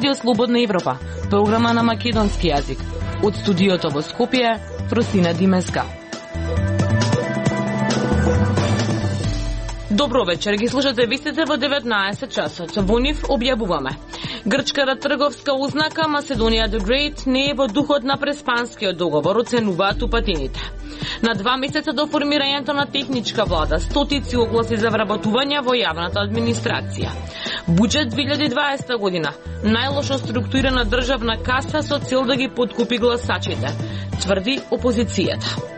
Радио Слободна Европа, програма на македонски јазик. Од студиото во Скопје, Фросина Димеска. Добро вечер, ги слушате вестите во 19 часот. Во нив објавуваме. Грчката трговска ознака Macedónia the Great не е во духот на преспанскиот договор, оценуваат упатените. На 2 месеца до формирањето на техничка влада, стотици огласи за вработување во јавната администрација. Буџет 2020 година, најлошо структурирана државна каса со цел да ги подкупи гласачите, тврди опозицијата.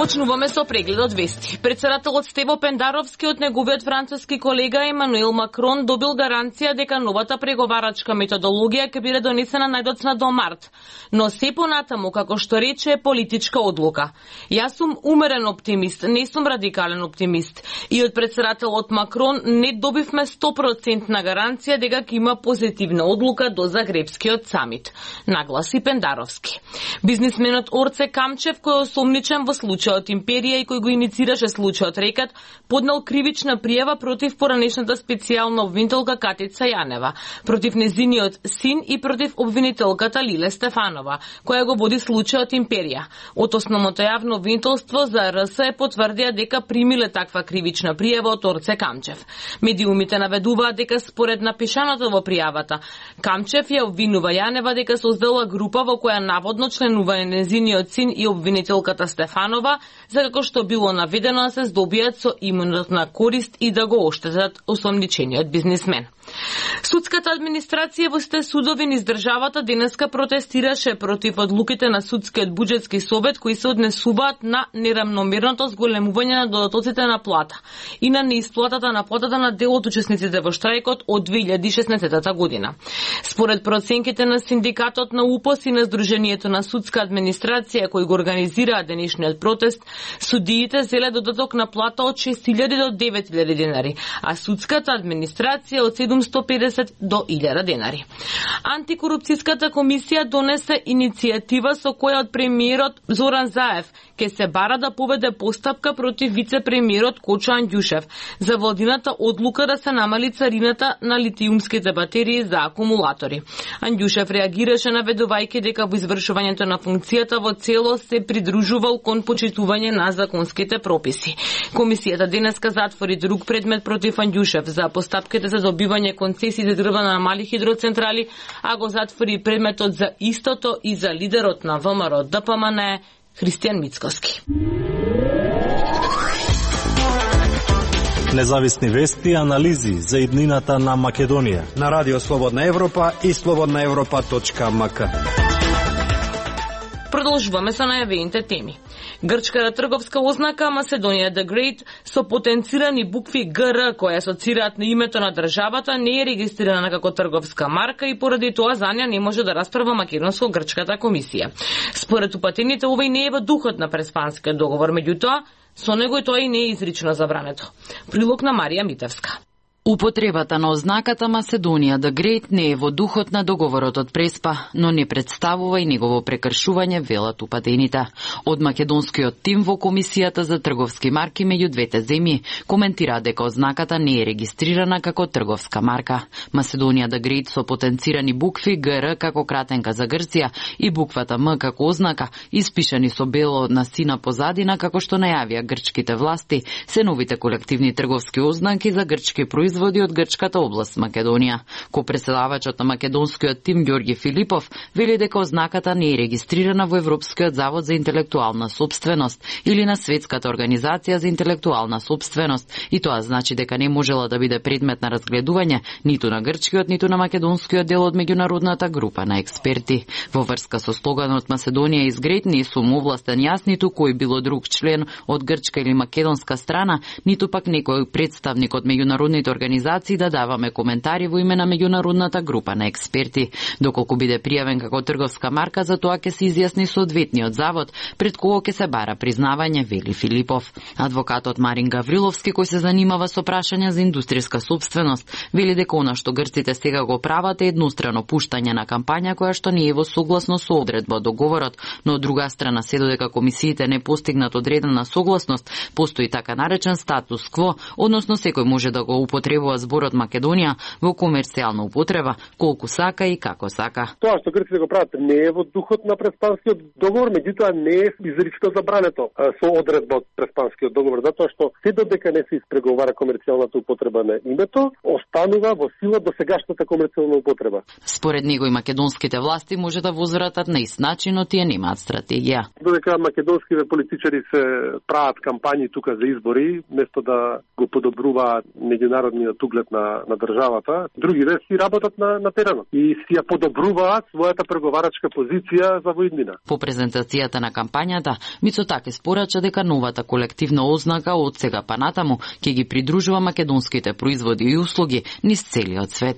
Почнуваме со прегледот вести. Председателот Стево Пендаровски од неговиот француски колега Емануел Макрон добил гаранција дека новата преговарачка методологија ќе биде донесена најдоцна до март, но се понатаму, како што рече, е политичка одлука. Јас сум умерен оптимист, не сум радикален оптимист. И од председателот Макрон не добивме 100% гаранција дека ќе има позитивна одлука до Загребскиот самит, нагласи Пендаровски. Бизнисменот Орце Камчев, кој е осомничен во случај од империја и кој го иницираше случајот Рекат, поднал кривична пријава против поранешната специјална обвинителка Катица Јанева, против незиниот син и против обвинителката Лиле Стефанова, која го води случајот империја. Од основното јавно обвинителство за РС потврдија дека примиле таква кривична пријава од Орце Камчев. Медиумите наведуваат дека според напишаното во пријавата, Камчев ја обвинува Јанева дека создала група во која наводно членува незиниот син и обвинителката Стефанова, за како што било наведено да се здобијат со имунитетна корист и да го оштетат осомничениот бизнисмен. Судската администрација во сите судови низ државата денеска протестираше против одлуките на судскиот буџетски совет кои се однесуваат на нерамномерното зголемување на додатоците на плата и на неисплатата на платата на дел од учесниците во штрајкот од 2016 година. Според проценките на синдикатот на УПОС и на Сдруженијето на судска администрација кои го организираат денешниот протест, судиите зеле додаток на плата од 6.000 до 9.000 денари, а судската администрација од 750 до 1000 денари. Антикорупцијската комисија донесе иницијатива со која од премиерот Зоран Заев ќе се бара да поведе постапка против вице-премиерот Кочо Андјушев за владината одлука да се намали царината на литиумските батерии за акумулатори. Андјушев реагираше наведувајќи дека во извршувањето на функцијата во целост се придружувал кон почитување на законските прописи. Комисијата денеска затвори друг предмет против Андјушев за постапките за добивање концесии за дрва на мали хидроцентрали, а го затвори предметот за истото и за лидерот на ВМРО ДПМН Христијан Мицкоски. Независни вести и анализи за иднината на Македонија на Радио Слободна Европа и slobodnaevropa.mk. Продолжуваме со најавените теми. Грчката трговска ознака Macedónia the Great со потенцирани букви ГР кои асоцираат на името на државата не е регистрирана како трговска марка и поради тоа за неа не може да расправа македонско-грчката комисија. Според упатените овој не е во духот на преспанскиот договор, меѓутоа со него и тоа и не е изрично забрането. Прилог на Марија Митевска. Употребата на ознаката Macedónia the Great не е во духот на договорот од Преспа, но не представува и негово прекршување, велат упатените. Од македонскиот тим во Комисијата за трговски марки меѓу двете земји коментира дека ознаката не е регистрирана како трговска марка. Macedónia the Great со потенцирани букви ГР како кратенка за Грција и буквата М како ознака, испишани со бело на сина позадина, како што најавија грчките власти, се новите колективни трговски ознаки за грчки производи од грчката област Македонија. Ко-преседавачот на македонскиот тим Ѓорги Филипов вели дека ознаката не е регистрирана во Европскиот завод за интелектуална сопственост или на Светската организација за интелектуална сопственост и тоа значи дека не можела да биде предмет на разгледување ниту на грчкиот, ниту на македонскиот дел од меѓународната група на експерти. Во врска со слоганот Macedónia is Great не сум овластен јас ниту кој било друг член од грчка или македонска страна, ниту пак некој представник од меѓународните организации да даваме коментари во име на меѓународната група на експерти. Доколку биде пријавен како трговска марка, за тоа ќе се изјасни соодветниот завод пред кого ќе се бара признавање, вели Филипов. Адвокатот Марин Гавриловски, кој се занимава со прашања за индустријска сопственост, вели дека она што грците сега го прават е еднострано пуштање на кампања која што не е во согласно со одредба од договорот, но од друга страна се додека комисиите не постигнат одредена согласност, постои така наречен статус кво, односно секој може да го употреби употребува зборот Македонија во комерцијална употреба колку сака и како сака. Тоа што грците го прават не е во духот на Преспанскиот договор, меѓутоа не е изрично забрането со одредба од Преспанскиот договор, затоа што се додека не се испреговара комерцијалната употреба на името, останува во сила досегашната комерцијална употреба. Според него и македонските власти може да возвратат на ист начин, но тие немаат стратегија. Додека македонските политичари се прават кампањи тука за избори, место да го подобруваат меѓународниот углед на државата, другите си работат на теренот и си ја подобруваат својата преговарачка позиција за во иднина. По презентацијата на кампањата, Мицотаки спорача дека новата колективна ознака од сега па натаму ќе ги придружува македонските производи и услуги низ целиот свет.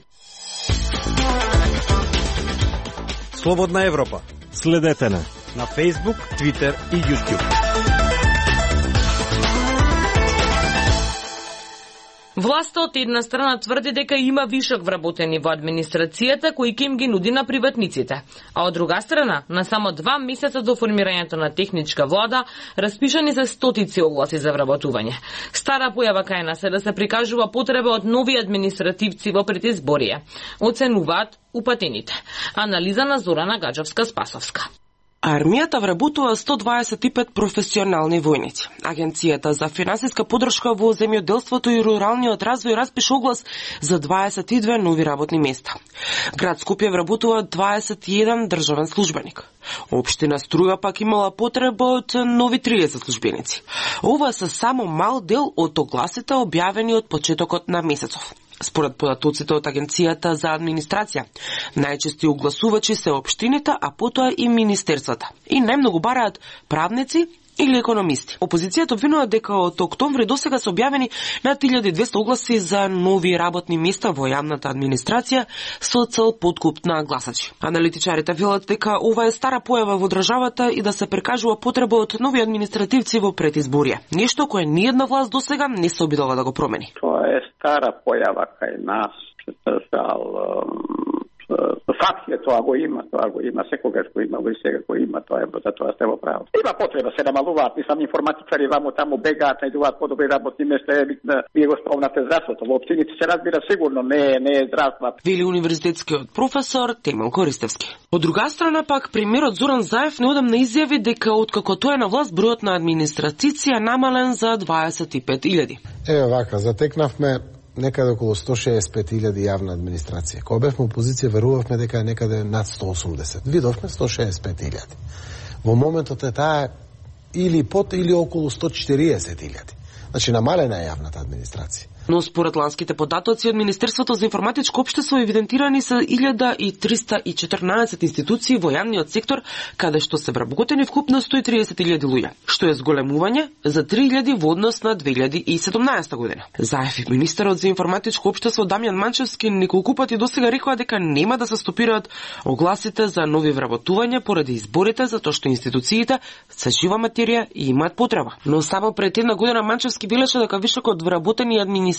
Слободна Европа. Следете на Facebook, Twitter и YouTube. Власта од една страна тврди дека има вишок вработени во администрацијата кои ќе им ги нуди на приватниците, а од друга страна, на само 2 месеца до формирањето на техничка влада, распишани се стотици огласи за вработување. Стара појава кај нас е да се прикажува потреба од нови административци во предизборие, оценуваат упатените. Анализа на Зорана Гаджовска-Спасовска. Армијата вработува 125 професионални војници. Агенцијата за финансиска поддршка во земјоделството и руралниот развој распиша оглас за 22 нови работни места. Град Скопје вработува 21 државен службеник. Општина Струја пак имала потреба од нови 30 службеници. Ова се само мал дел од огласите објавени од почетокот на месецов. Според податоците од Агенцијата за администрација, најчести огласувачи се општините, а потоа и министерствата. И најмногу бараат правници или економисти. Опозицијата обвинува дека од октомври досега се објавени над 1200 огласи за нови работни места во јавната администрација со цел подкуп на гласачи. Аналитичарите велат дека ова е стара појава во државата и да се прикажува потреба од нови административци во предизборие. Нешто кое ниедна власт досега не се обидела да го промени. Тоа е стара појава кај нас, факт е, тоа го има, секогаш го има, и сега го има, тоа е, за тоа сте во право. Има потреба се намалуваат, мислам, информатичари вамо таму бегаат, најдуваат подобри работни места, вие го спомнате здравството, во општините се разбира сигурно, не е здравство. Вели универзитетскиот професор Темел Користевски. Од друга страна пак, премиерот Зоран Заев неодамна изјави дека откако тој е на власт, бројот на администрацији е намален за 25.000. Еве вака, затекнавме некаде околу 165.000 јавна администрација. Кога бевме опозиција, верувавме дека е некаде над 180. Видовме 165.000. Во моментот е таа или под или околу 140.000. Значи намалена е јавната администрација. Но според ланските податоци од Министерството за информатичко општество евидентирани се 1314 институции во јавниот сектор, каде што се вработени вкупно 130.000 луѓе, што е зголемување за 3.000 во однос на 2017 година. Заев и министерот за информатичко општество Дамјан Манчевски неколку пати досега рекоа дека нема да се стопираат огласите за нови вработувања поради изборите, затоа што институциите се жива материја и имаат потреба. Но само пред една година Манчевски билеше дека вишокот вработени административци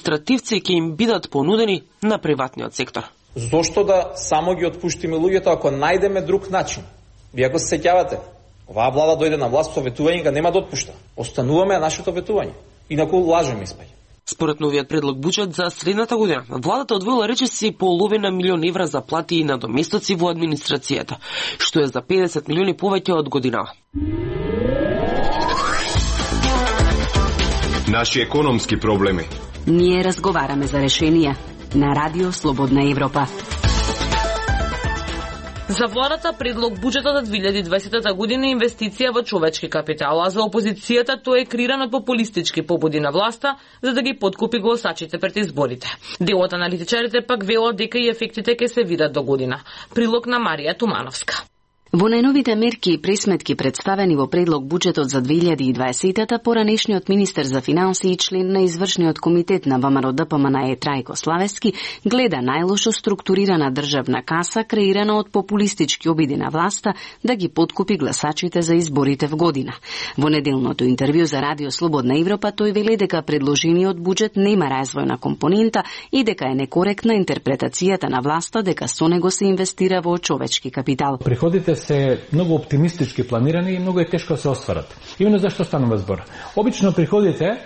ќе им бидат понудени на приватниот сектор. Зошто да само ги отпуштиме луѓето ако најдеме друг начин? Вие го се сеќавате. Оваа влада дојде на власт со ветување, га нема да отпушта. Остануваме нашето ветување. Инаку лажеме испаѓа. Според новиот предлог буџет за следната година, владата одвоила речиси половина милион евра за плати и надоместоци во администрацијата, што е за 50 милиони повеќе од годинава. Наши економски проблеми. Ние разговараме за решенија на Радио Слободна Европа. За владата предлог буџетот за 2020 година е инвестиција во човечки капитал, а за опозицијата тој е креиран од популистички побуди на власта за да ги подкупи гласачите пред изборите. Дел од аналитичарите пак велат дека и ефектите ќе се видат до година. Прилог на Марија Тумановска. Во најновите мерки и пресметки представени во предлог буџетот за 2020-та, поранешниот министер за финансии и член на извршниот комитет на ВМРО-ДПМН Трајко Славески гледа најлошо структурирана државна каса креирана од популистички обиди на власта да ги подкупи гласачите за изборите в година. Во неделното интервју за Радио Слободна Европа тој вели дека предложениот буџет нема развојна компонента и дека е некоректна интерпретацијата на власта дека со него се инвестира во човечки капитал. Приходите се многу оптимистички планирани и многу е тешко да се остварат. Именно зашто станува збор. Обично приходите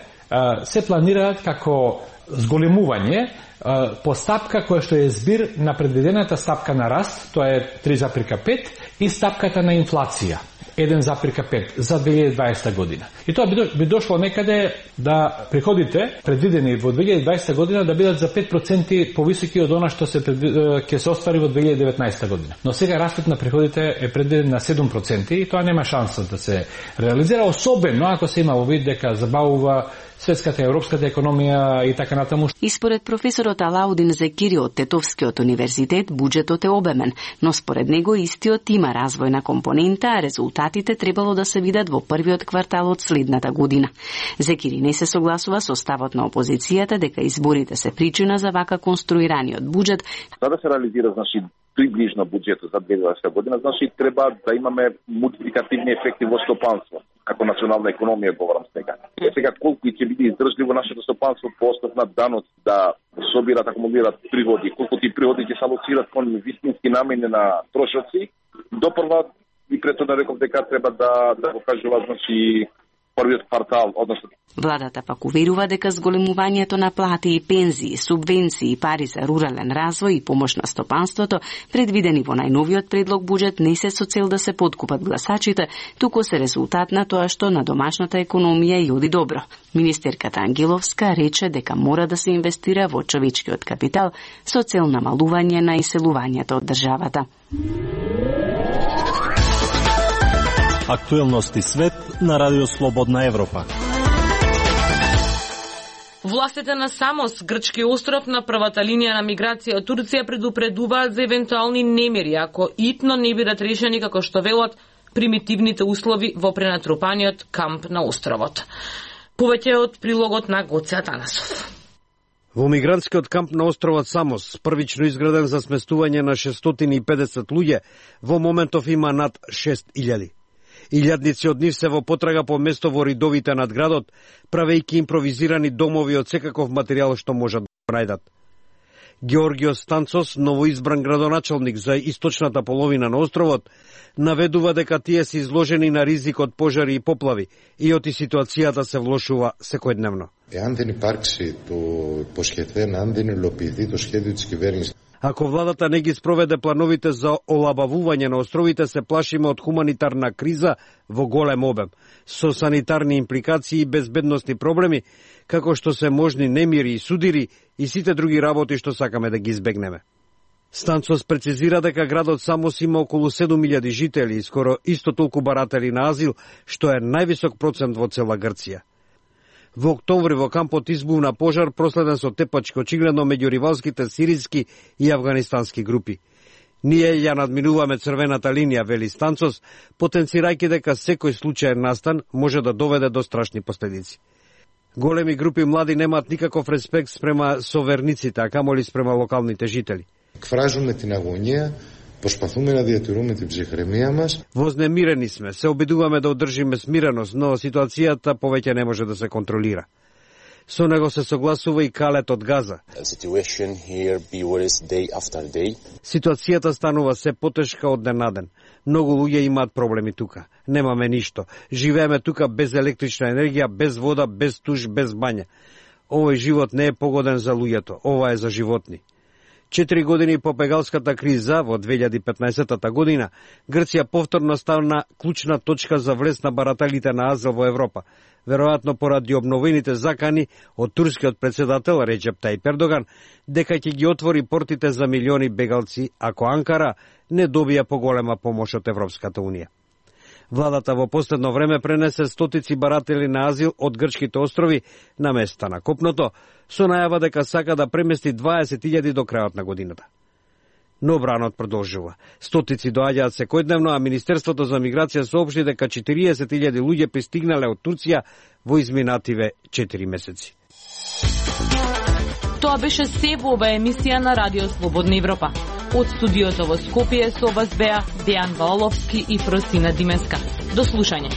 се планираат како зголемување по стапка која што е збир на предвидената стапка на раст, тоа е 3,5 и стапката на инфлација 1,5 за 2020 година. И тоа би дошло некаде да приходите предвидени во 2020 година да бидат за 5% повисоки од она што ќе се оствари во 2019 година. Но сега растот на приходите е предвиден на 7% и тоа нема шанса да се реализира, особено ако се има во вид дека забавува светската и европската економија и така натаму. И според професорот Алаудин Зекири од Тетовскиот универзитет, буџетот е обемен, но според него истиот има развојна компонента, а резултатите требало да се видат во првиот квартал од следната година. Зекири не се согласува со ставот на опозицијата дека изборите се причина за вака конструираниот буџет. За да се реализира, приближно буџетот за 2020 година, треба да имаме мултипликативни ефекти во стопанство. Како национална економија говорам сега. Сега колку ќе биде издржливо нашето стопанство по основ на данот да собират, акумулират приходи, колку ти приходи ќе се алоцират кон вистински намени на трошоци, допрва и претhodно реков дека треба да покажува првиот квартал, односно. Владата пак уверува дека зголемувањето на плати и пензии, субвенции, пари за рурален развој и помош на стопанството, предвидени во најновиот предлог буџет, не се со цел да се подкупат гласачите, туку се резултат на тоа што на домашната економија и оди добро. Министерката Ангеловска рече дека мора да се инвестира во човечкиот капитал со цел намалување на иселувањето од државата. Актуелности свет на Радио Слободна Европа. Властите на Самос, грчки остров на првата линија на миграција од Турција, предупредуваат за евентуални немири ако итно не бидат решени како што велат примитивните услови во пренатрупаниот камп на островот. Повеќе од прилогот на Гоце Атанасов. Во мигрантскиот камп на островот Самос, првично изграден за сместување на 650 луѓе, во моментов има над 6000. Илјадници од нив се во потрага по место во ридовите над градот, правејќи импровизирани домови од секаков материјал што можат да најдат. Георгиос Станцос, новоизбран градоначалник за источната половина на островот, наведува дека тие се изложени на ризик од пожари и поплави и оти ситуацијата се влошува секојдневно. Εάν δεν υπάρξει το υποσχεθέν, αν δεν υλοποιηθεί το σχέδιο της κυβέρνησης. Ако владата не ги спроведе плановите за олабавување на островите, се плашиме од хуманитарна криза во голем обем, со санитарни импликации и безбедностни проблеми, како што се можни немири и судири и сите други работи што сакаме да ги избегнеме. Станцос прецизира дека градот Самос има околу 7000 жители и скоро исто толку баратели на азил, што е највисок процент во цела Грција. Во октомври во кампот избувна пожар проследен со тепачки очигледно меѓу ривалските сириски и афганистански групи. Ние ја надминуваме црвената линија, вели Станцос, потенцирајќи дека секој случаен настан може да доведе до страшни последици. Големи групи млади немаат никаков респект спрема соверниците, а камоли спрема локалните жители. Εκφράζουμε την αγωνία, προσπαθούμε να διατηρούμε την ψυχραιμία μας. Вознемирени сме, се обидуваме да одржиме смиреност, но ситуацијата повеќе не може да се контролира. Со него се согласува и Калет од Газа. Ситуацијата станува се потешка од ден на ден. Многу луѓе имаат проблеми тука. Немаме ништо. Живееме тука без електрична енергија, без вода, без туш, без бања. Овој живот не е погоден за луѓето, ова е за животни. 4 години по бегалската криза во 2015 година, Грција повторно стана клучна точка за влез на барателите на азил во Европа, веројатно поради обновените закани од турскиот председател Реджеп Тајип Ердоган дека ќе ги отвори портите за милиони бегалци ако Анкара не добија поголема помош од Европската унија. Владата во последно време пренесе стотици баратели на азил од грчките острови на места на копното, со најава дека сака да премести 20.000 до крајот на годината. Но бранот продолжува. Стотици доаѓаат секојдневно, а Министерството за миграција соопшти дека 40.000 луѓе пристигнале од Турција во изминативе 4 месеци. Тоа беше се во оваа емисија на Радио Слободна Европа. Од студиото во Скопје со вас беа Дејан Ваоловски и Фросина Димеска. До слушање.